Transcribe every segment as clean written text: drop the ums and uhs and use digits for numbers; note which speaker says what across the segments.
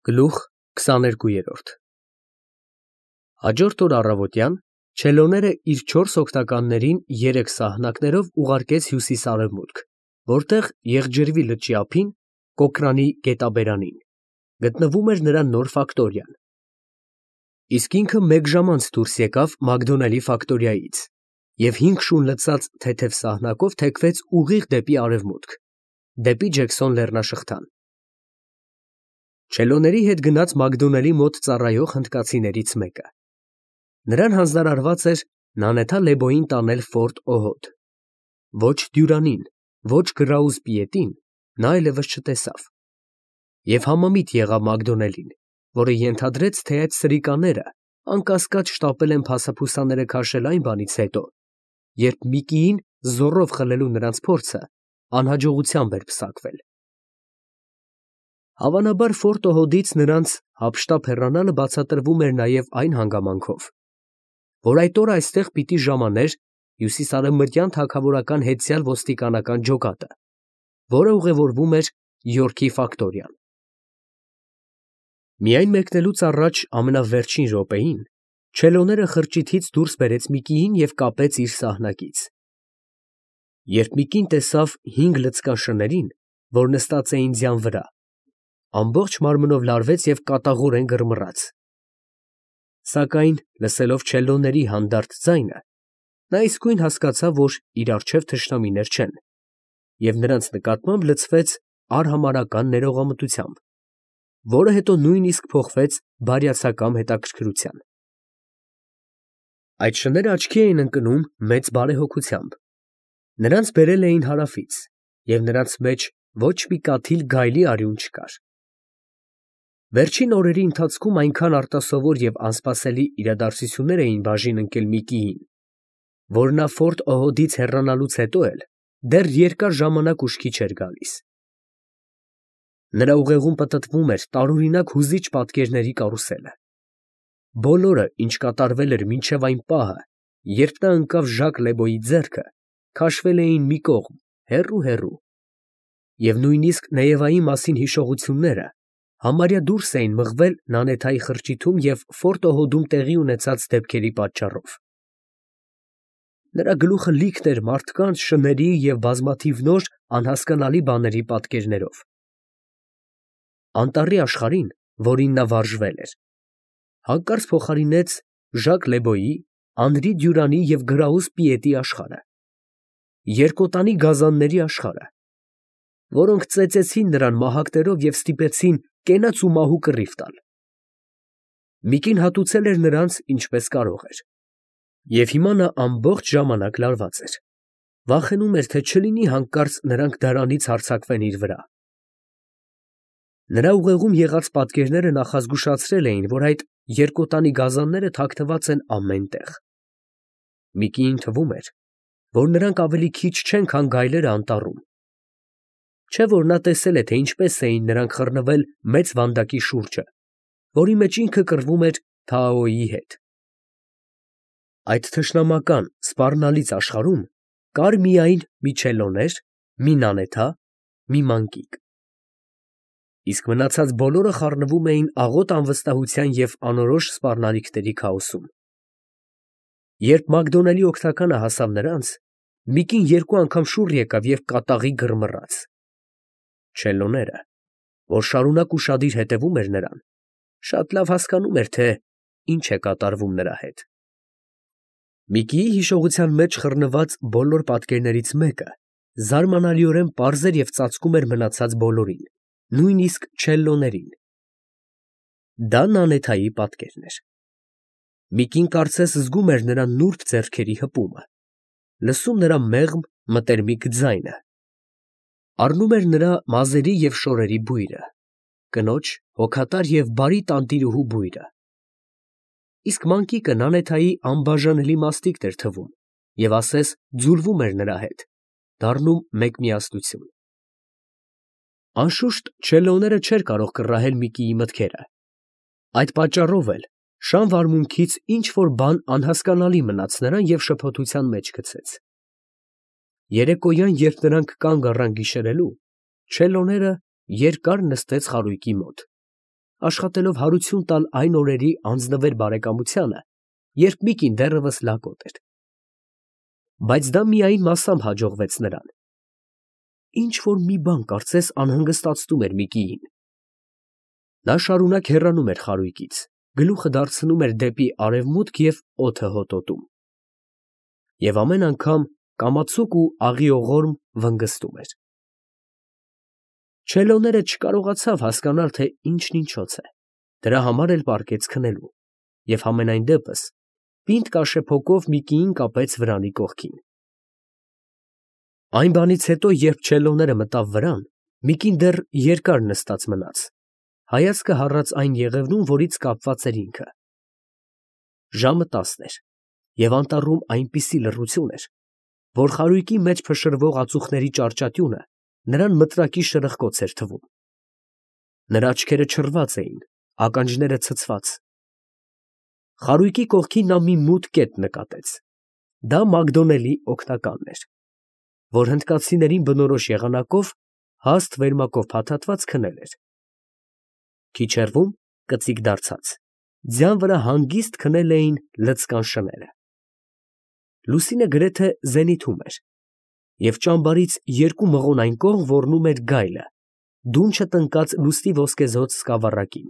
Speaker 1: Գլուխ 22 Հաջորդ օր առավոտյան Չելոները իր 4 օգնականներին 3 սահնակներով ուղարկեց հյուսիս֊արևմուտք, որտեղ եղջերվի լճի ափին, Կոկրանի գետաբերանին, գտնվում էր նրա նոր ֆակտորիան, իսկ ինքը մեկ ժամ անց դուրս եկավ Մակդոնալդի ֆակտորիայից և 5 շուն լցած թեթև սահնակով թեքվեց ուղիղ դեպի արևմուտք, դեպի Ջեքսոն լեռնաշղթան։ Չելոների հետ գնաց Մակդոնալդի մոտ ծառայող հնդկացիներից մեկը։ Նրան հանձնարարված էր Նանեթա Լեբոյին տանել Ֆորտ Օհոդ։ Ոչ Դյուրանին, ոչ Գրաուզ Պիետին նա այլևս չտեսավ։ Եվ համամիտ եղավ Մակդոնալդին, որը ենթադրեց, թե այդ սրիկաները անկասկած շտապել են փասափուսաները քաշել այն բանից հետո, երբ Միկիին զոռով խլելու նրանց փորձը անհաջողությամբ էր պսակվել։ Հավանաբար Ֆորտ Օհոդից նրանց հափշտապ հեռանալը բացատրվում էր նաև այն հանգամանքով, որ այդ օրը այստեղ պիտի ժամաներ հյուսիսարևմտյան թագավորական հետսյալ ոստիկանական ջոկատը, որը ուղևորվում էր Յորքի ֆակտորիան։ Միայն մեկնելուց առաջ ամենավերջին րոպեին Չելոները խրճիթից դուրս բերեց Միկիին և կապեց իր սահնակից։ Երբ Միկին տեսավ 5 լցկան շներին, որ նստած էին ձյան վրա, ամբողջ մարմնով լարվեց և կատաղորեն գրմռաց։ Սակայն, լսելով Չելոների հանդարտ ձայնը, նա իսկույն հասկացավ, որ իր առջև թշնամիներ չեն, և նրանց նկատմամբ լցվեց արհամարհական ներողամտությամբ, որը հետո նույնիսկ փոխվեց բարյացակամ հետաքրքրության։ Այդ շները աչքի էին ընկնում մեծ բարեհոգությամբ։ Նրանց բերել էին հարավից, և նրանց մեջ ոչ մի կաթիլ գայլի արյուն չկար։ Վերջին օրերի ընթացքում այնքան արտասովոր և անսպասելի իրադարձություններ էին բաժին ընկել Միկիին, որ նա Ֆորտ Օհոդից հեռանալուց հետո էլ դեռ երկար ժամանակ ուշքի չէր գալիս։ Նրա ուղեղում պտտվում էր տարօրինակ հուզիչ պատկերների կարուսելը։ Բոլորը, ինչ կատարվել էր մինչև այն պահը, երբ նա ընկավ Ժակ Լեբոյի ձեռքը, քաշվել էին մի կողմ, հեռու, և նույնիսկ Նեևայի մասին հիշողությունները համարյա դուրս էին մղվել Նանեթայի խրճիթում և Ֆորտ Օհոդում տեղի ունեցած դեպքերի պատճառով։ Նրա գլուխը լիքն էր մարդկանց, շների և բազմաթիվ նոր անհասկանալի բաների պատկերներով։ Անտառի աշխարհին, որին նա վարժվել էր, հանկարծ փոխարինեց Ժակ Լեբոյի, Անրի Դյուրանի և Գրաուզ Պիետի աշխարհը, երկոտանի գազանների աշխարհը, որոնք ծեծեցին նրան մահակներով և ստիպեցին կենաց ու մահու կռիվ տալ։ Միկին հատուցել էր նրանց ինչպես կարող էր, և հիմա նա ամբողջ ժամանակ լարված էր, վախենում էր, թե չլինի հանկարծ նրանք դարանից հարձակվեն իր վրա։ Նրա ուղեղում եղած պատկերները նախազգուշացրել էին, որ այդ երկոտանի գազանները թաքնված են ամեն տեղ։ Միկիին թվում էր, որ նրանք ավելի քիչ չեն, քան գայլերը անտառում։ Չէ՞ որ նա տեսել է, թե ինչպես էին նրանք խռնվել մեծ վանդակի շուրջը, որի մեջ ինքը կռվում էր Թաոյի հետ։ Այդ թշնամական, սպառնալից աշխարհում կար միայն մի Չելոներ, մի Նանեթա, մի մանկիկ։ Իսկ մնացած բոլորը խառնվում էին աղոտ անվստահության և անորոշ սպառնալիքների քաոսում։ Երբ Մակդոնալդի օգնականը հասավ նրանց, Միկին 2 անգամ շուռ եկավ և կատաղի գրմռաց։ Չելոները, որ շարունակ ուշադիր հետևում էր նրան, շատ լավ հասկանում էր, թե ինչ է կատարվում նրա հետ։ Միկիի հիշողության մեջ խռնված բոլոր պատկերներից մեկը զարմանալիորեն պարզ էր և ծածկում էր մնացած բոլորին, նույնիսկ Չելոներին։ Դա Նանեթայի պատկերն էր։ Միկին կարծես զգում էր նրա նուրբ ձեռքերի հպումը, լսում նրա մեղմ, մտերմիկ ձայնը, առնում էր նրա մազերի և շորերի բույրը, կնոջ հոգատար և բարի տանտիրուհու բույրը։ Իսկ մանկիկը Նանեթայի անբաժանելի մաստիկն էր թվում և ասես ձուլվում էր նրա հետ, դառնում մեկ միասնություն։ Անշուշտ, Չելոները չէր կարող կռահել Միկիի մտքերը։ Այդ պատճառով էլ շան վարմունքից ինչ֊որ բան անհասկանալի մնաց նրան և շփոթության մեջ գցեց։ Երեկոյան, երբ նրանք կանգ առան գիշերելու, Չելոները երկար նստեց խարույկի մոտ, աշխատելով հարություն տալ այն օրերի անձնվեր բարեկամությանը, երբ Միկին դեռևս լակոտ էր։ Բայց դա միայն մասամբ հաջողվեց նրան։ Ինչ որ մի բան կարծես անհանգստացնում էր Միկիին։ Նա շարունակ հեռանում էր խարույկից, գլուխը դարձնում էր դեպի արևմուտք և օդը հոտոտում։ Եվ ամեն անգամ կամացուկ ու աղիողորմ վնգստում էր։ Չելոները չկարողացավ հասկանալ, թե ինչն ինչոց է, դրա համար էլ պառկեց քնելու և համենայն դեպս պինդ կաշեփոկով Միկիին կապեց վրանի կողքին։ Այն բանից հետո, երբ չելոները մտավ վրան, Միկին դեռ երկար նստած մնաց, հայացքը հառած այն եղևնուն, որից կապված էր ինքը։ Ժամը 10 էր, և անտառում այնպիսի լռություն էր, որ խարույկի մեջ փշրվող ածուխների ճարճատյունը նրան մտրակի շրխկոց էր թվում։ Նրա աչքերը չռված էին, ականջները ցցված։ Խարույկի կողքին նա մի մութ կետ նկատեց. դա Մակդոնելի օգնականն էր, որ հնդկացիներին բնորոշ եղանակով հաստ վերմակով փաթաթված քնել էր։ Քիչ հեռվում, կծիկ դարձած, ձյան վրա հանգիստ քնել էին լցկան շները։ Լուսինը գրեթե զենիթում էր, և ճամբարից երկու մղոն այն կողմ ոռնում էր գայլը, դունչը տնկած լուսնի ոսկեզօծ սկավառակին։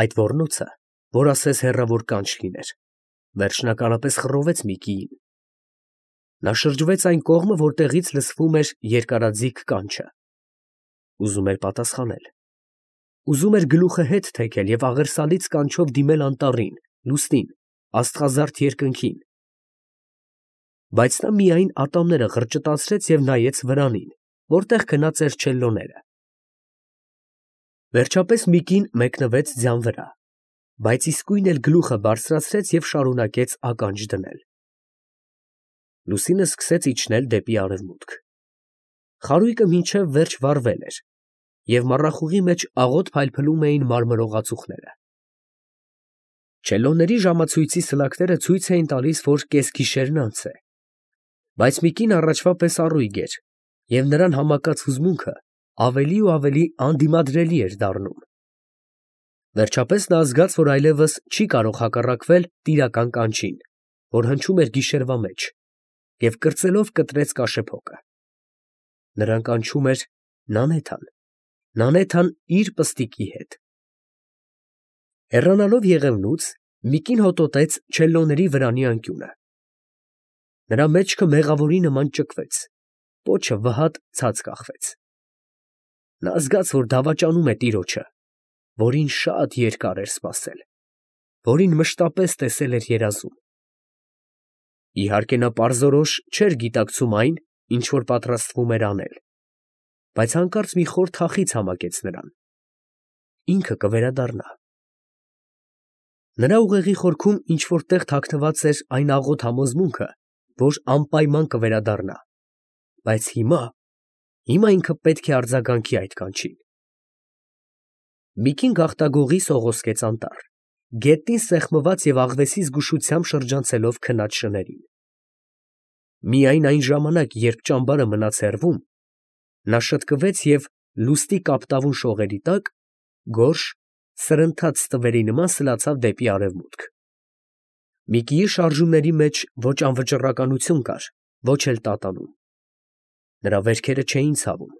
Speaker 1: Այդ ոռնոցը, որ ասես հեռավոր կանչ լիներ, վերջնականապես խռովեց Միկիին։ Նա շրջվեց այն կողմը, որտեղից լսվում էր երկարաձիգ կանչը։ Ուզում էր պատասխանել։ Ուզում էր գլուխը հետ թեքել և աղերսալից կանչով դիմել անտառին, լուսնին, աստղազարդ երկնքին։ Բայց նա միայն ատամները ղրճտացրեց և նայեց վրանին, որտեղ քնած էր չելլոները։ Վերջապես Միկին մեկնվեց ձյան վրա, բայց իսկույն էլ գլուխը բարձրացրեց և շարունակեց ականջ դնել։ Լուսինը սկսեց իջնել դեպի արևմուտք։ Խարույկը մինչև վերջ վառվել էր, և մառախուղի մեջ աղոտ փայլփլում էին մարմրող ածուխները։ Չելլոների ժամացույցի սլաքները ցույց էին տալիս, որ կեսգիշերն անց է, բայց Միկին առաջվա պես առույգ էր, և նրան համակած հուզմունքը ավելի ու ավելի անդիմադրելի էր դառնում։ Վերջապես նա զգաց, որ այլևս չի կարող հակառակվել տիրական կանչին, որ հնչում էր գիշերվա մեջ, և կրծելով կտրեց կաշեփոկը։ Նրան կանչում էր Նանեթան, Նանեթան իր պստիկի հետ։ Հեռանալով եղևնուց, Միկին հոտոտեց չելլոների վրանի անկյունը։ Նրա մեջքը մեղավորի նման ճկվեց, պոչը վհատ ցած կախվեց։ Նա զգաց, որ դավաճանում է տիրոջը, որին շատ երկար էր սպասել, որին մշտապես տեսել էր երազում։ Իհարկե նա պարզորոշ չէր գիտակցում այն, ինչ որ պատրաստվում էր անել, բայց հանկարծ մի խոր թախիծ համակեց նրան։ Ինքը կվերադառնա։ Նրա ուղեղի խորքում ինչ֊որ տեղ թաքնված էր այն աղոտ համոզմունքը, որ անպայման կվերադառնա, բայց հիմա ինքը պետք է արձագանքի այդ կանչին։ Միկին գաղտագողի սողոսկեց անտառ, գետնին սեղմված և աղվեսի զգուշությամբ շրջանցելով քնած շներին։ Միայն այն ժամանակ, երբ ճամբարը մնաց հեռվում, նա շտկվեց և լուսնի կապտավուն շողերի տակ գորշ, սրընթաց ստվերի նման սլացավ դեպի արևմուտք։ Միկիի շարժումների մեջ ոչ անվճռականություն կար, ոչ էլ տատանում։ Նրա վերքերը չէին ցավում,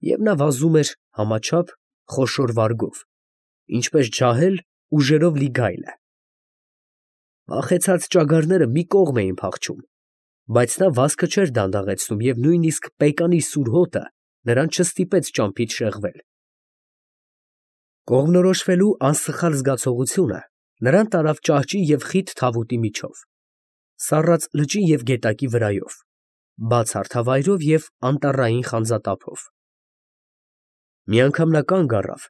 Speaker 1: և նա վազում էր համաչափ, խոշոր վարգով, ինչպես ջահել ուժերով լի գայլը։ Վախեցած ճագարները մի կողմ էին փախչում, բայց նա վազքը չէր դանդաղեցնում և նույնիսկ պեկանի սուր հոտը նրան չստիպեց ճամփից շեղվել։ Կողմնորոշվելու անսխալ զգացողությունը նրան տարավ ճահճի և խիտ թավուտի միջով, սառած լճի և գետակի վրայով, բաց հարթավայրով և անտառային խանձատափով։ Մի անգամ նա կանգ առավ,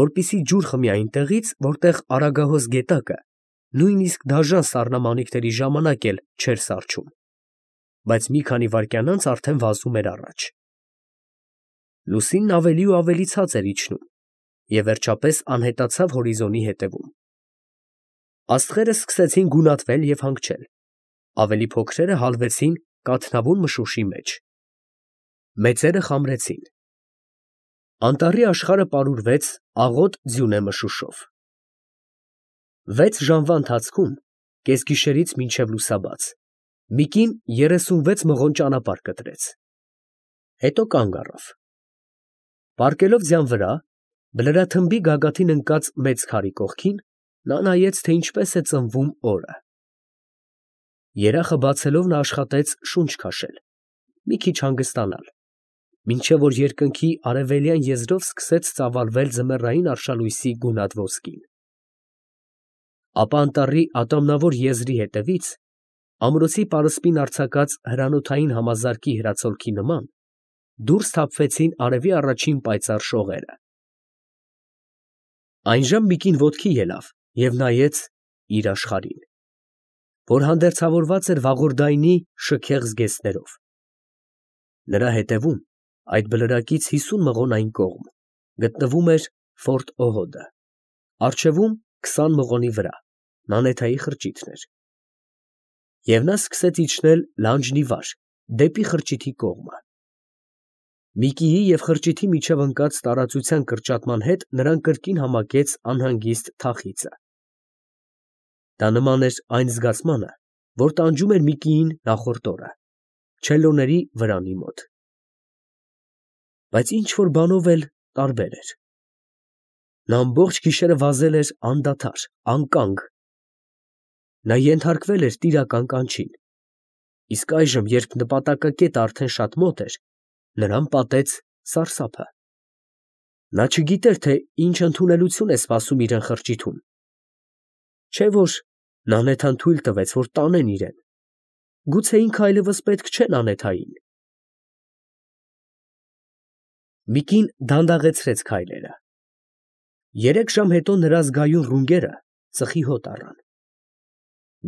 Speaker 1: որպեսզի ջուր խմի այնտեղից, որտեղ Արագահոս գետակը նույնիսկ դաժան սառնամանիքների ժամանակ էլ չէր սառչում, բայց մի քանի վայրկյան անց արդեն վազում էր առաջ։ Լուսինն ավելի ու ավելի ցած էր իջնում և վերջապես անհետացավ հորիզոնի ետևում։ Աստղերը սկսեցին գունատվել և հանգչել, ավելի փոքրերը հալվեցին կաթնավուն մշուշի մեջ, մեծերը խամրեցին։ Անտառի աշխարհը պարուրվեց աղոտ ձյունե մշուշով։ 6 ժամվա ընթացքում, կեսգիշերից մինչև լուսաբաց, մի կին 36 մղոն ճանապարհ կտրեց, հետո կանգ առավ։ Պառկելով ձյան վրա, բլրաթմբի գագաթին ընկած մեծ քարի կողքին, նա նայեց, թե ինչպես է ծնվում օրը։ Երախը բացելով նա աշխատեց շունչ քաշել, մի քիչ հանգստանալ, մինչև որ երկնքի արևելյան եզրով սկսեց ծավալվել ձմեռային արշալույսի գունատ ոսկին։ Ապա անտառի ատամնավոր եզրի հետևից, ամրոցի պարսպին արձակած հրանոթային համազարկի հրացոլքի նման, դուրս թափվեցին արևի առաջին պայծառ շողերը։ Այնժամ մի կին ոտքի ելավ և նայեց իր աշխարհին, որ հանդերձավորված էր վաղորդայնի շքեղ զգեստներով։ Նրա հետևում, այդ բլրակից 50 մղոն այն կողմ, գտնվում էր Ֆորտ Օհոդը, առջևում 20 մղոնի վրա նանեթայի խրճիթն էր։ Եվ նա սկսեց իջնել լանջն ի վար, դեպի խրճիթի կողմը։ Միկիի և խրճիթի միջև ընկած տարածության կրճատման հետ նրան կրկին համակեց անհանգիստ թախիծը։ Դա նման էր այն զգացմանը, որ տանջում էր Միկիին նախորդ օրը, չելոների վրանի մոտ։ Բայց ինչ֊որ բանով էլ տարբեր էր։ Նա ամբողջ գիշերը վազել էր անդադար, անկանգ։ Նա ենթարկվել էր տիրական կանչին, իսկ այժմ, երբ նպատակակետը արդեն շատ մոտ էր, նրան պատեց սարսափը։ Նա չգիտեր, թե ինչ ընդունելություն է սպասում իրան խրճիթում։ Չէ՞ որ Նանեթան թույլ տվեց, որ տանեն իրեն։ Գուցե ինքը այլևս պետք չէ Նանեթային։ Միկին դանդաղեցրեց քայլերը։ 3 ժամ հետո նրա զգայուն ռունգերը ծխի հոտ առան։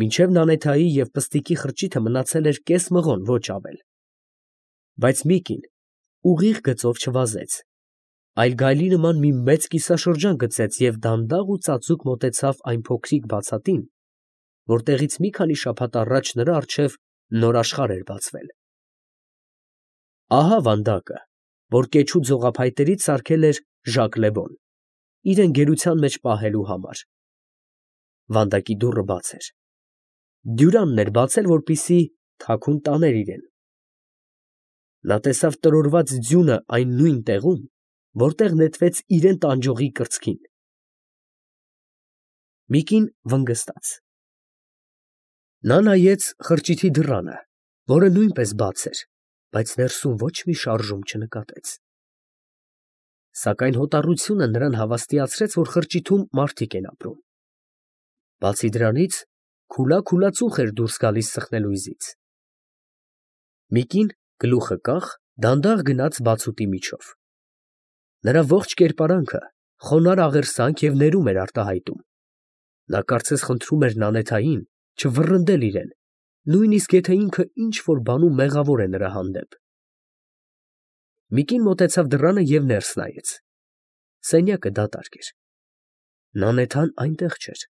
Speaker 1: Մինչև Նանեթայի և Պստիկի խրճիթը մնացել էր կես մղոն, ոչ ավել։ Բայց Միկին ուղիղ գծով չվազեց, այլ գայլի նման մի մեծ կիսաշրջան գծեց և դանդաղ ու ծածուկ մոտեցավ այն փոքրիկ բացատին, որտեղից մի քանի շաբաթ առաջ նրա առջև նոր աշխարհ էր բացվել։ Ահա վանդակը, որ կեչու ձողափայտերից սարքել էր Ժակ Լևոն, իրան գերության մեջ պահելու համար։ Վանդակի դուռը բաց էր։ Դյուրանն էր բացել, որպեսզի թաքուն տաներ իրեն։ Նա տեսավ տրորված ձյունը այն նույն տեղում, որտեղ նետվեց իրան տանջողի կրծքին։ Միկին վնգստաց։ Նա նայեց խրճիթի դռանը, որը նույնպես բաց էր, բայց ներսում ոչ մի շարժում չնկատեց։ Սակայն հոտառությունը նրան հավաստիացրեց, որ խրճիթում մարդիկ են ապրում։ Բացի դրանից, քուլա ծուխ էր դուրս գալիս սխնելույզից։ Միկին գլուխը կախ, դանդաղ գնաց բացուտի միջով։ Նրա ողջ կերպարանքը խոնարհ աղերսանք և ներում էր արտահայտում։ Նա կարծես խնդրում էր Նանեթային չվռնդել իրեն, նույնիսկ եթե ինքը ինչ֊որ բանում մեղավոր է նրա հանդեպ։ Միկին մոտեցավ դռանը և ներս նայեց։ Սենյակը դատարկ էր։ Նանեթան այնտեղ չէր։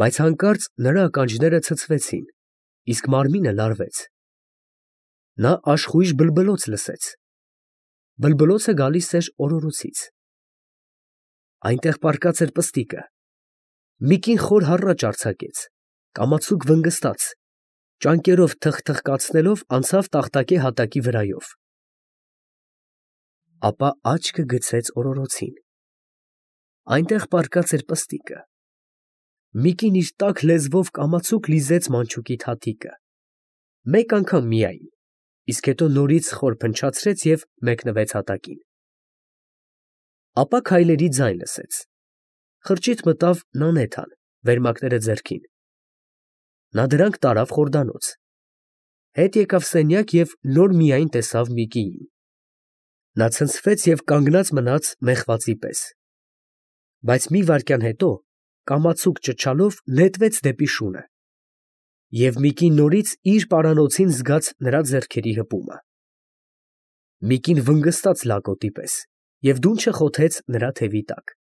Speaker 1: Բայց հանկարծ նրա ականջները ցցվեցին, իսկ մարմինը լարվեց։ Նա աշխույժ բլբլոց լսեց։ Բլբլոցը գալիս էր օրորոցից։ Այնտեղ պառկած էր Պստիկը։ Միկին խոր հառաչ արձակեց, կամացուկ վնգստաց, ճանկերով թխթխկացնելով անցավ տախտակե հատակի վրայով։ Ապա աչքը գցեց օրորոցին։ Այնտեղ պառկած էր Պստիկը։ Միկին իր տաք լեզվով կամացուկ լիզեց մանչուկի թաթիկը։ Մեկ անգամ միայն, իսկ հետո նորից խոր փնչացրեց և մեկնվեց հատակին։ Ապա քայլերի ձայն լսեց։ Խրճիթ մտավ Նանեթան, վերմակները ձեռքին։ Նա դրանք տարավ խորդանոց։ Հետ եկավ սենյակ և նոր միայն տեսավ Միկիին։ Նա ցնցվեց և կանգնած մնաց մեղվածի պես։ Բայց մի վայրկյան հետո, կամացուկ ճչալով, նետվեց դեպի շունը։ Եվ Միկին նորից իր պարանոցին զգաց նրա ձեռքերի հպումը։ Միկին վնգստաց լակոտի պես և դունչը խոթեց նրա թևի տակ։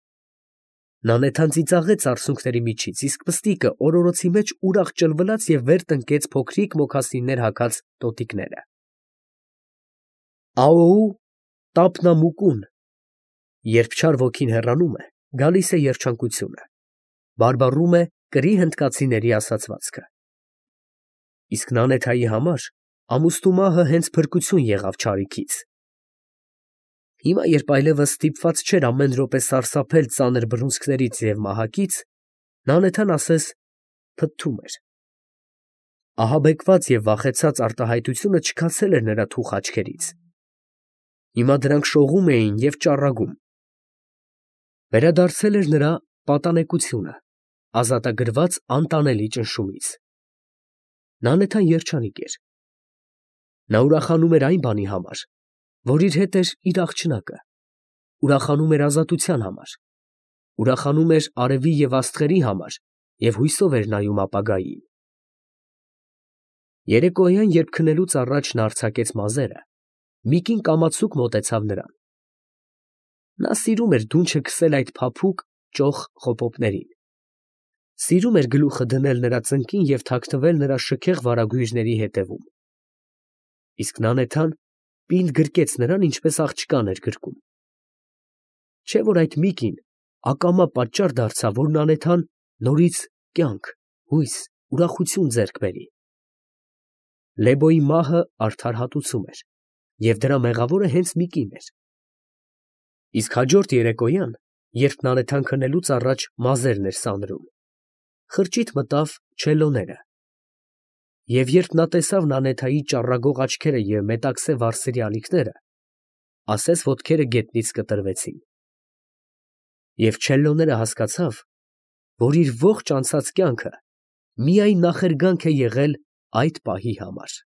Speaker 1: Նանեթան ծիծաղեց արցունքների միջից, իսկ Պստիկը օրորոցի մեջ ուրախ ճլվլաց և վեր տնկեց փոքրիկ մոքասիններ հագած տոտիկները։ Աոու տափնամուկուն Երբ չար ոգին հեռանում է, գալիս է երջանկությունը, բարբառում է կրի հնդկացիների ասացվածքը։ Իսկ Նանեթայի համար ամուսնու մահը հենց փրկություն եղավ չարիքից։ Հիմա, երբ այլևս ստիպված չէր ամեն րոպե սարսափել ծանր բռունցքներից և մահակից, Նանեթան ասես փթթում էր։ Ահաբեկված և վախեցած արտահայտությունը չքացել էր նրա թուխ աչքերից։ Հիմա դրանք շողում էին և ճառագում։ Վերադարձել էր նրա պատանեկությունը, ազատագրված անտանելի ճնշումից։ Նանեթան երջանիկ էր։ Նա ուրախանում էր այն բանի համար, որ իր հետ էր իր աղջնակը, ուրախանում էր ազատության համար, ուրախանում էր արևի և աստղերի համար և հույսով էր նայում ապագային։ Երեկոյան, երբ քնելուց առաջ նա արձակեց մազերը, մի կին կամացուկ մոտեցավ նրան։ Նա սիրում էր դունչը քսել այդ փափուկ, ճոխ խոպոպներին, սիրում էր գլուխը դնել նրա ծնկին և թաքնվել նրա շքեղ վարագույրների ետևում։ Իսկ Նանեթան պինդ գրկեց նրան, ինչպես աղջկան էր գրկում։ Չէ՞ որ այդ մի կին ակամա պատճառ դարձավ, որ Նանեթան նորից կյանք, հույս, ուրախություն ձեռք բերի։ Լեբոյի մահը արդար հատուցում էր, և դրա մեղավորը հենց մի կին էր։ Իսկ հաջորդ երեկոյան, երբ Նանեթան քնելուց առաջ մազերն էր սանրում, խրճիթ մտավ չելլոները, և երբ նա տեսավ Նանեթայի ճառագող աչքերը և մետաքսե վարսերի ալիքները, ասես ոտքերը գետնից կտրվեցին։ Եվ չելլոները հասկացավ, որ իր ողջ անցած կյանքը միայն նախերգանք է եղել այդ պահի համար։